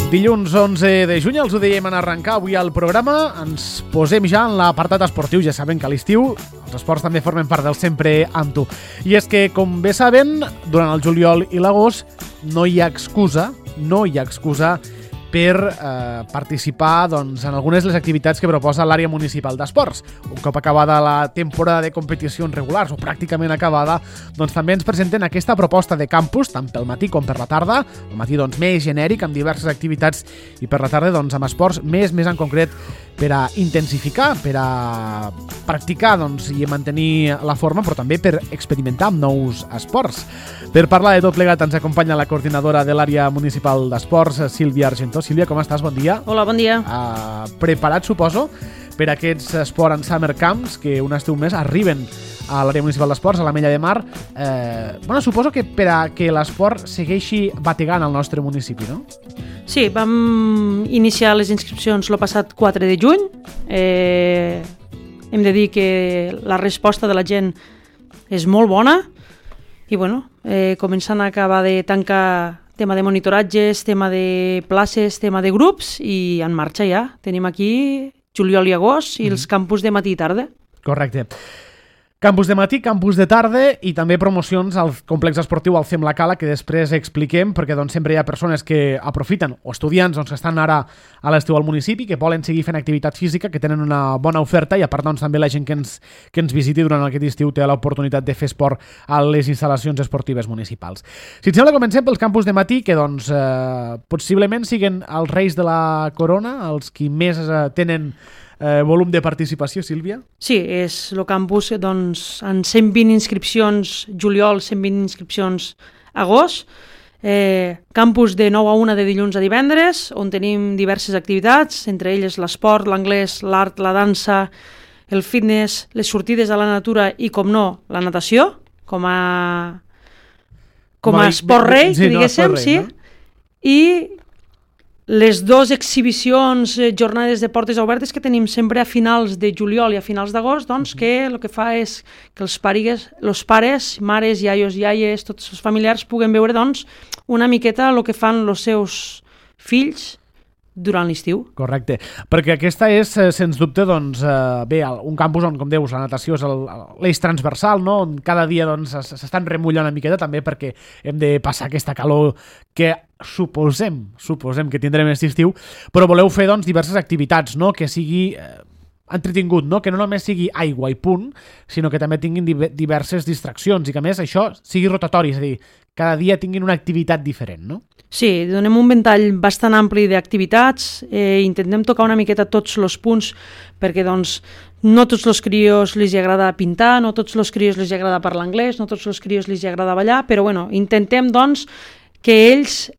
Dilluns 11 de juny, els ho dèiem en arrencar avui al programa, ens posem ja en l'apartat esportiu. Ja saben que a l'estiu els esports també formen part del Sempre amb tu. I és que, com bé saben, durant el juliol i l'agost no hi ha excusa per participar en algunes de les activitats que proposa l'àrea municipal d'esports. Un cop acabada la temporada de competicions regulars o pràcticament acabada, també ens presenten aquesta proposta de campus, tant pel matí com per la tarda. El matí més genèric, amb diverses activitats, i per la tarda amb esports més en concret per a intensificar, per a practicar i mantenir la forma, però també per experimentar amb nous esports. Per parlar de tot plegat ens acompanya la coordinadora de l'àrea municipal d'esports, Sílvia Argentó. Sílvia, com estàs? Bon dia. Hola, bon dia. Preparat, suposo, per aquests Sport and Summer Camps que un estiu més arriben a l'àrea municipal d'esports, a l'Ametlla de Mar. Suposo que per a que l'esport segueixi bategant al nostre municipi, no? Sí, vam iniciar les inscripcions el passat 4 de juny. Hem de dir que la resposta de la gent és molt bona i començant a acabar de tancar tema de monitoratges, tema de places, tema de grups, i en marxa ja. Tenim aquí juliol i agost i els campus de matí i tarda. Correcte. Campus de matí, campus de tarda i també promocions al complex esportiu al Fem la Cala, que després expliquem, perquè sempre hi ha persones que aprofiten, o estudiants que estan ara a l'estiu al municipi, que volen seguir fent activitat física, que tenen una bona oferta, i a part també la gent que ens visiti durant aquest estiu té l'oportunitat de fer esport a les instal·lacions esportives municipals. Si et sembla, comencem pels campus de matí, que possiblement siguin els reis de la corona, els qui més tenen volum de participació, Sílvia? Sí, és el campus en 120 inscripcions juliol, 120 inscripcions agost, campus de 9 a 1 de dilluns a divendres, on tenim diverses activitats, entre elles l'esport, l'anglès, l'art, la dansa, el fitness, les sortides a la natura i, com no, la natació, com a esport rei, que diguéssim, sí. I les dues exhibicions, jornades de portes obertes que tenim sempre a finals de juliol i a finals d'agost, que el que fa és que els pares, mares, iaies, tots els familiars puguen veure una miqueta el que fan els seus fills durant l'estiu. Correcte, perquè aquesta és, sens dubte, un campus on, com dius, la natació és l'eix transversal, no? On cada dia s'estan remullant una miqueta, també perquè hem de passar aquesta calor que suposem que tindrem aquest estiu, però voleu fer diverses activitats, no? Que sigui entretingut, no? Que no només sigui aigua i punt, sinó que també tinguin diverses distraccions i que a més això sigui rotatori, és a dir, cada dia tinguin una activitat diferent, no? Sí, donem un ventall bastant ampli d'activitats, intentem tocar una miqueta tots els punts, perquè no tots els crios els agrada pintar, no tots els crios els agrada parlar anglès, no tots els crios els agrada ballar, però intentem que ells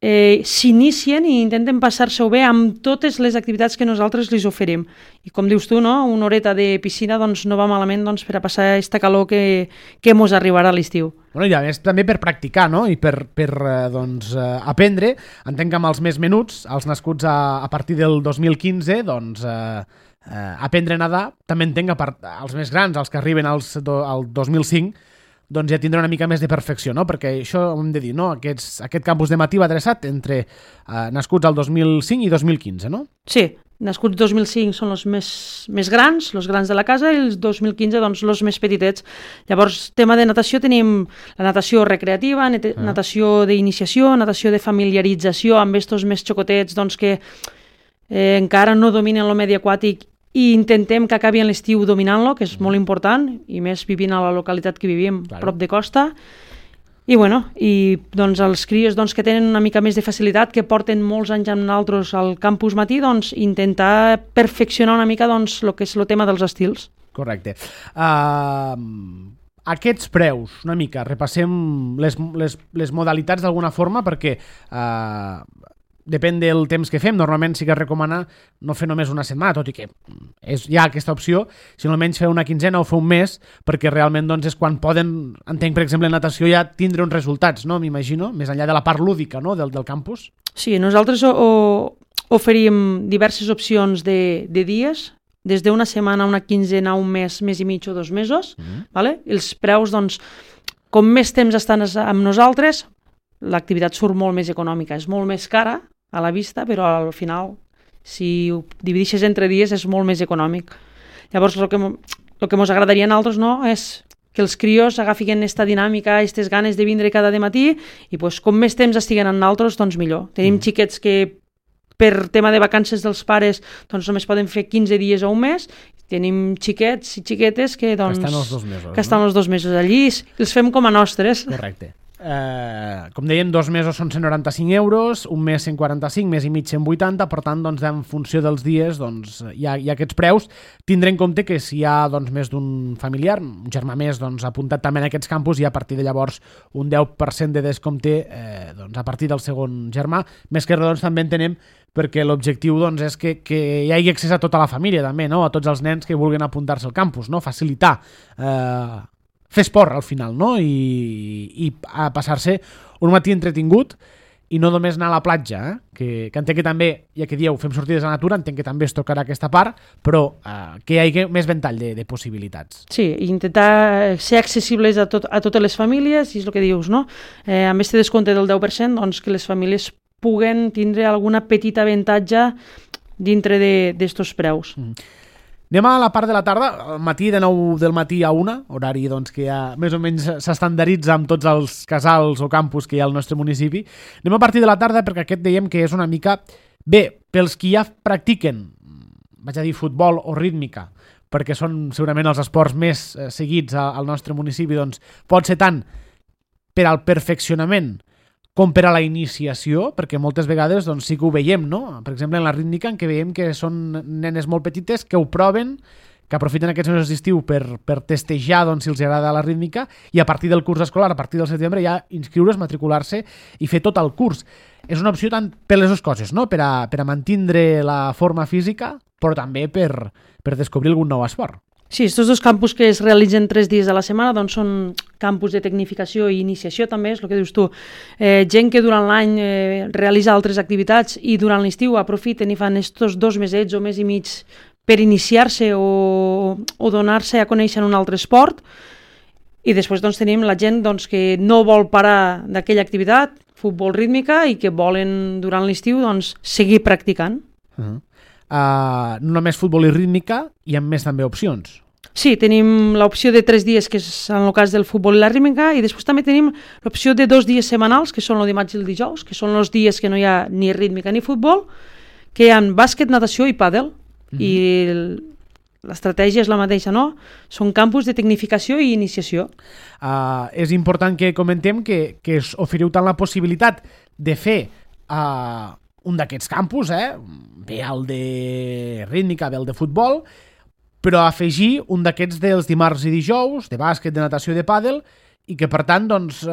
s'inicien i intenten passar-se-ho bé amb totes les activitats que nosaltres els oferim. I com dius tu, no? Una horeta de piscina no va malament per a passar aquesta calor que mos arribarà a l'estiu. I a més també per practicar, no? I per aprendre. Entenc que amb els més menuts, els nascuts a partir del 2015, aprendre a nedar. També entenc que els més grans, els que arriben al 2005, ja tindrà una mica més de perfecció, no? Perquè això ho hem de dir, no? Aquest campus de matí va adreçat entre nascuts al 2005 i 2015, no? Sí, nascuts 2005 són els més grans, els grans de la casa, i els 2015, els més petitets. Llavors, tema de natació, tenim la natació recreativa, natació d'iniciació, natació de familiarització amb estos més xocotets que encara no dominen el medi aquàtic, i intentem que acabi en l'estiu dominant-lo, que és molt important, i més vivint a la localitat que vivim, prop de costa. I els crios que tenen una mica més de facilitat, que porten molts anys amb nosaltres al campus matí, intentar perfeccionar una mica el que és el tema dels estils. Correcte. Aquests preus, una mica, repassem les modalitats d'alguna forma, perquè depèn del temps que fem. Normalment sí que es recomana no fer només una setmana, tot i que hi ha aquesta opció, sinó almenys fer una quinzena o fer un mes, perquè realment és quan poden, entenc per exemple en natació, ja tindre uns resultats, no? M'imagino, més enllà de la part lúdica, no? del campus. Sí, nosaltres oferim diverses opcions de dies, des d'una setmana, una quinzena, un mes, mes i mig o 2 mesos. Vale? Els preus, com més temps estan amb nosaltres, l'activitat surt molt més econòmica, és molt més cara, a la vista, però al final, si ho divideixes entre dies, és molt més econòmic. Llavors, el que ens agradaria a nosaltres, no, és que els crios agafin aquesta dinàmica, aquestes ganes de vindre cada matí i pues, com més temps estiguen amb nosaltres, doncs millor. Tenim xiquets que per tema de vacances dels pares doncs només poden fer 15 dies o un mes. Tenim xiquets i xiquetes que estan els 2 mesos. Que estan els 2 mesos allí i els fem com a nostres. Correcte. Com dèiem, 2 mesos són 195 euros, un mes 145, mes i mig 180, per tant, doncs, en funció dels dies doncs, hi ha aquests preus. Tindré en compte que si hi ha doncs, més d'un familiar, un germà més doncs, apuntat també en aquests campus, i a partir de llavors un 10% de descompte doncs, a partir del segon germà. Més que res, doncs, també entenem perquè l'objectiu doncs, és que hi hagi accés a tota la família, també, no? A tots els nens que vulguin apuntar-se al campus, no? Facilitar fer esport al final, no? I a passar-se un matí entretingut i no només anar a la platja, que entenc que també, ja que dieu, fem sortides a la natura, entenc que també es tocarà aquesta part, però que hi hagi més ventall de possibilitats. Sí, intentar ser accessibles a totes les famílies, i és el que dius, no? Amb aquest descompte del 10%, doncs que les famílies puguen tindre alguna petita avantatge dintre d'estos preus. Anem a la part de la tarda, al matí de 9 del matí a 1, horari doncs, que ja més o menys s'estandaritza amb tots els casals o campus que hi ha al nostre municipi. Anem a partir de la tarda perquè aquest dèiem que és una mica... Bé, pels qui ja practiquen, vaig a dir futbol o rítmica, perquè són segurament els esports més seguits al nostre municipi, doncs pot ser tant per al perfeccionament com per a la iniciació, perquè moltes vegades doncs, sí que ho veiem, no? Per exemple, en la rítmica, en què veiem que són nenes molt petites que ho proven, que aprofiten aquests mesos d'estiu per testejar doncs, si els agrada la rítmica, i a partir del curs escolar, a partir del setembre, ja inscriure's, matricular-se i fer tot el curs. És una opció tant per les dues coses, no? Per a mantindre la forma física, però també per descobrir algun nou esport. Sí, aquests 2 campus que es realitzen 3 dies a la setmana doncs són campus de tecnificació i iniciació també, és el que dius tu. Gent que durant l'any realitza altres activitats i durant l'estiu aprofiten i fan aquests 2 mesets o mes i mig per iniciar-se o donar-se a conèixer en un altre esport. I després doncs, tenim la gent doncs, que no vol parar d'aquella activitat, futbol rítmica, i que volen durant l'estiu doncs, seguir practicant. No només futbol i rítmica, hi ha més també opcions. Sí, tenim l'opció de 3 dies, que és en el cas del futbol i la rítmica, i després també tenim l'opció de 2 dies setmanals, que són el dimarts i el dijous, que són els dies que no hi ha ni rítmica ni futbol, que hi ha bàsquet, natació i pàdel. I l'estratègia és la mateixa, no? Són campus de tecnificació i iniciació. És important que comentem que us oferiu tant la possibilitat de fer un d'aquests campus, bé el de rítmica, bé el de futbol, però afegir un d'aquests dels dimarts i dijous, de bàsquet, de natació i de pàdel, i que per tant doncs,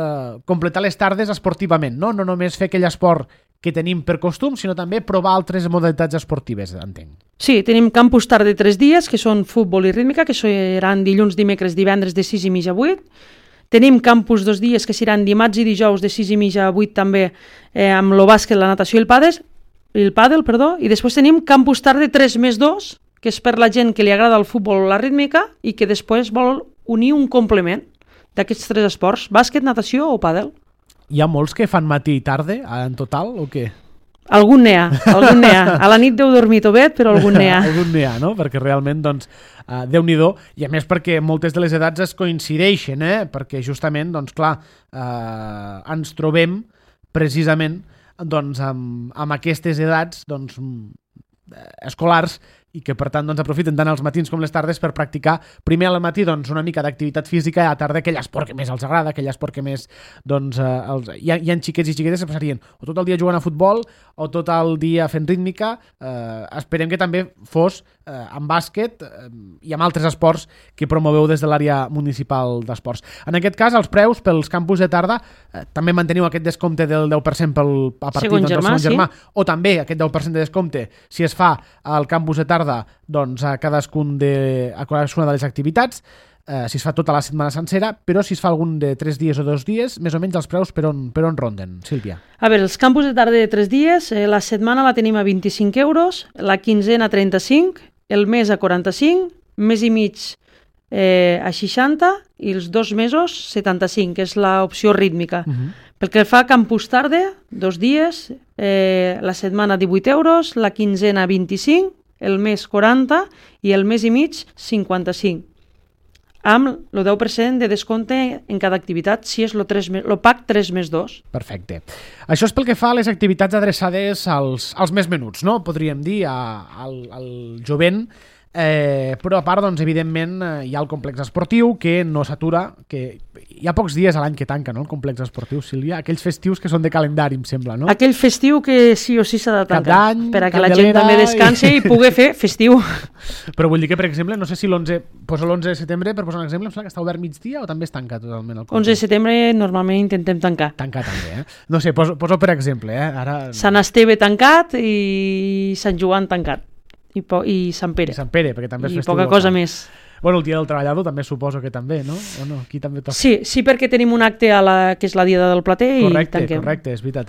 completar les tardes esportivament, no només fer aquell esport que tenim per costum, sinó també provar altres modalitats esportives, entenc. Sí, tenim campus tarda 3 dies, que són futbol i rítmica, que seran dilluns, dimecres, divendres de 6 i mitja a 8. Tenim campus 2 dies que seran dimarts i dijous de 6 i mitja a 8 també amb el bàsquet, la natació i el pàdel, i després tenim campus tarda 3+2, que és per la gent que li agrada el futbol o la rítmica i que després vol unir un complement d'aquests 3 esports, bàsquet, natació o pàdel. Hi ha molts que fan matí i tarda en total o què? Algun n'hi ha. A la nit deu dormir tovet, però algun n'hi ha. Algun n'hi ha, no? Perquè realment, doncs, Déu-n'hi-do, i a més perquè moltes de les edats es coincideixen, perquè justament, doncs, clar, ens trobem precisament doncs, amb aquestes edats doncs, escolars i que per tant doncs, aprofiten tant els matins com les tardes per practicar primer al matí doncs, una mica d'activitat física i a la tarda aquell esport que més els agrada, aquell esport que més doncs, hi ha xiquets i xiquetes que passarien o tot el dia jugant a futbol o tot el dia fent rítmica. Esperem que també fos amb bàsquet i amb altres esports que promoveu des de l'àrea municipal d'esports. En aquest cas, els preus pels campus de tarda també manteniu aquest descompte del 10% a partir del segon germà, o també aquest 10% de descompte si es fa al campus de tarda doncs, a cadascuna de les activitats, si es fa tota la setmana sencera, però si es fa algun de 3 dies o 2 dies, més o menys els preus per on ronden, Sílvia? A veure, els campus de tarda de 3 dies, la setmana la tenim a 25 euros, la quinzena a 35, el mes a 45, mes i mig a 60 i els 2 mesos 75, que és l'opció rítmica. Pel que fa a campus tarda, 2 dies, la setmana 18 euros, la quinzena 25, el mes 40 i el mes i mig 55, amb el 10% de descompte en cada activitat si és el pack 3+2. Perfecte. Això és pel que fa a les activitats adreçades als més menuts, no? Podríem dir, al jovent, però a part, doncs, evidentment, hi ha el complex esportiu que no s'atura, que hi ha pocs dies a l'any que tanca, no?, el complex esportiu, Sílvia, aquells festius que són de calendari, em sembla, no? Aquell festiu que sí o sí s'ha de tancar, d'any, per a que la gent també descansi i pugui fer festiu. Però vull dir que, per exemple, no sé si poso l'11 de setembre, per posar un exemple, em sembla que està obert migdia o també es tanca totalment el complex? 11 de setembre normalment intentem tancar. Tancar també, eh? No sé, poso per exemple, Ara... Sant Esteve tancat i Sant Joan tancat. I Sant Pere. I Sant Pere, perquè també és festiu. I poca cosa més. Bueno, el dia del treballador també suposo que també, no? O no? Aquí també toca. Sí, perquè tenim un acte que és la Diada del Plater i tanquem. Correcte, és veritat.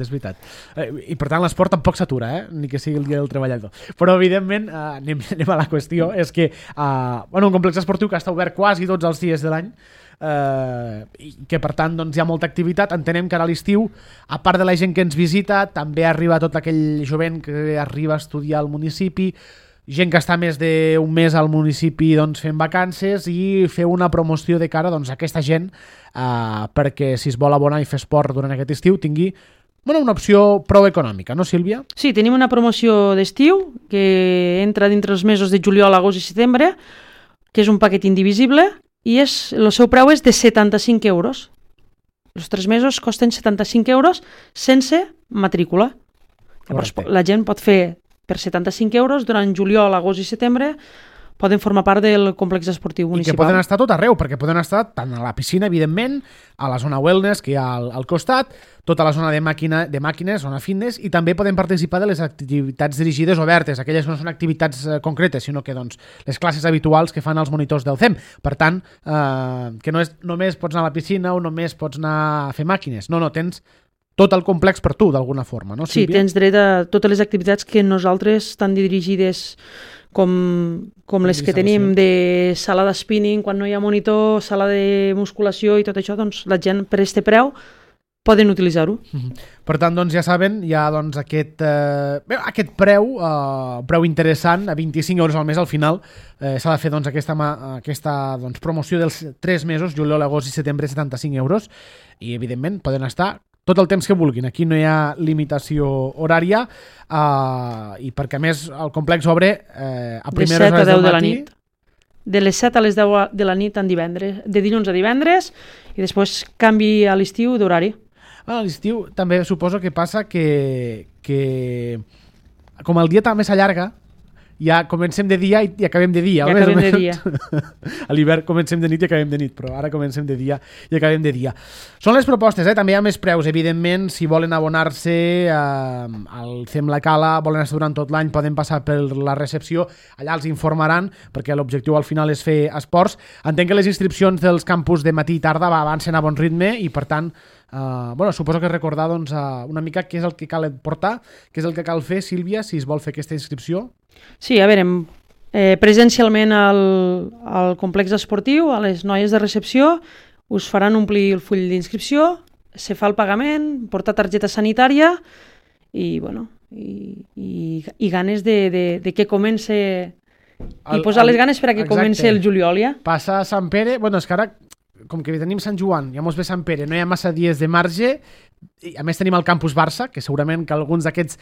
I per tant l'esport tampoc s'atura, ni que sigui el dia del treballador. Però evidentment, anem a la qüestió, és que un complex esportiu que està obert quasi tots els dies de l'any, i que per tant doncs, hi ha molta activitat. Entenem que ara a l'estiu, a part de la gent que ens visita, també arriba tot aquell jovent que arriba a estudiar al municipi, gent que està més d'un mes al municipi doncs, fent vacances, i fer una promoció de cara doncs, a aquesta gent perquè si es vol abonar i fer esport durant aquest estiu tingui una opció prou econòmica, no, Sílvia? Sí, tenim una promoció d'estiu que entra dintre els mesos de juliol, agost i setembre, que és un paquet indivisible, i el seu preu és de 75 euros. Els 3 mesos costen 75 euros sense matrícula. Llavors, la gent pot fer per 75 euros durant juliol, agost i setembre, poden formar part del complex esportiu municipal. I que poden estar tot arreu, perquè poden estar tant a la piscina, evidentment, a la zona wellness que hi ha al costat, tota la zona de màquines, zona fitness, i també poden participar de les activitats dirigides obertes, aquelles que no són activitats concretes, sinó que doncs, les classes habituals que fan els monitors del CEM. Per tant, que no és només pots anar a la piscina o només pots anar a fer màquines. No, tens tot el complex per tu, d'alguna forma, no, Sílvia? Sí, tens dret a totes les activitats que nosaltres estan dirigides com les que tenim de sala de spinning, quan no hi ha monitor, sala de musculació i tot això, doncs la gent per este preu poden utilitzar-ho. Per tant, doncs ja saben, hi ha doncs, aquest preu interessant, a 25 euros al mes al final. S'ha de fer doncs, aquesta doncs, promoció dels 3 mesos, juliol, agost i setembre, 75 euros, i evidentment poden estar tot el temps que vulguin. Aquí no hi ha limitació horària, i perquè a més el complex obre a primeres hores del matí. De les 7 a les 10 de la nit de dilluns a divendres, i després canvi a l'estiu d'horari. A l'estiu també suposo que passa que com el dia també s'allarga, ja comencem de dia i acabem de dia. Ja acabem de dia. A l'hivern comencem de nit i acabem de nit, però ara comencem de dia i acabem de dia. Són les propostes, també hi ha més preus, evidentment. Si volen abonar-se al CEM La Cala, volen estar durant tot l'any, poden passar per la recepció, allà els informaran, perquè l'objectiu al final és fer esports. Entenc que les inscripcions dels campus de matí i tarda avancen a bon ritme i per tant suposo que recordar doncs, una mica què és el que cal portar, què és el que cal fer, Sílvia, si es vol fer aquesta inscripció. Sí, a veure, presencialment al complex esportiu, a les noies de recepció, us faran omplir el full d'inscripció, se fa el pagament, portar targeta sanitària i ganes de que comence i posar les ganes per a que comence el juliol ja. Passa a Sant Pere, és que ara com que tenim Sant Joan, ja mos ve Sant Pere, no hi ha massa dies de marge, i a més tenim el campus Barça, que segurament que alguns d'aquests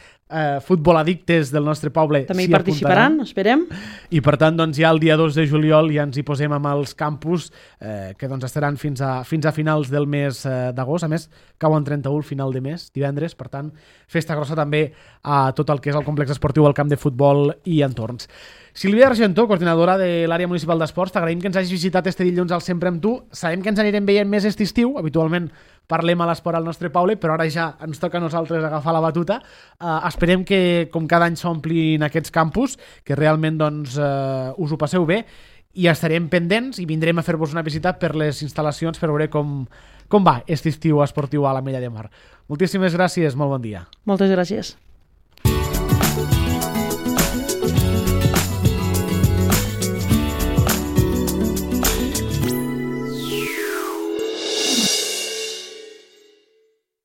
futboladictes del nostre poble també hi participaran, esperem. I per tant, doncs, ja el dia 2 de juliol ja ens hi posem amb els campus, que doncs, estaran fins a finals del mes d'agost. A més, cauen 31 final de mes, divendres, per tant, festa grossa també a tot el que és el complex esportiu, el camp de futbol i entorns. Sílvia Argentó, coordinadora de l'àrea municipal d'esports, t'agraïm que ens hagis visitat este dilluns al Sempre amb tu. Sabem que ens anirem veient més aquest estiu, habitualment parlem a l'esport al nostre poble, però ara ja ens toca a nosaltres agafar la batuta. Esperem que, com cada any, s'omplin aquests campus, que realment doncs, us ho passeu bé, i estarem pendents i vindrem a fer-vos una visita per les instal·lacions per veure com va aquest estiu esportiu a l'Ametlla de Mar. Moltíssimes gràcies, molt bon dia. Moltes gràcies.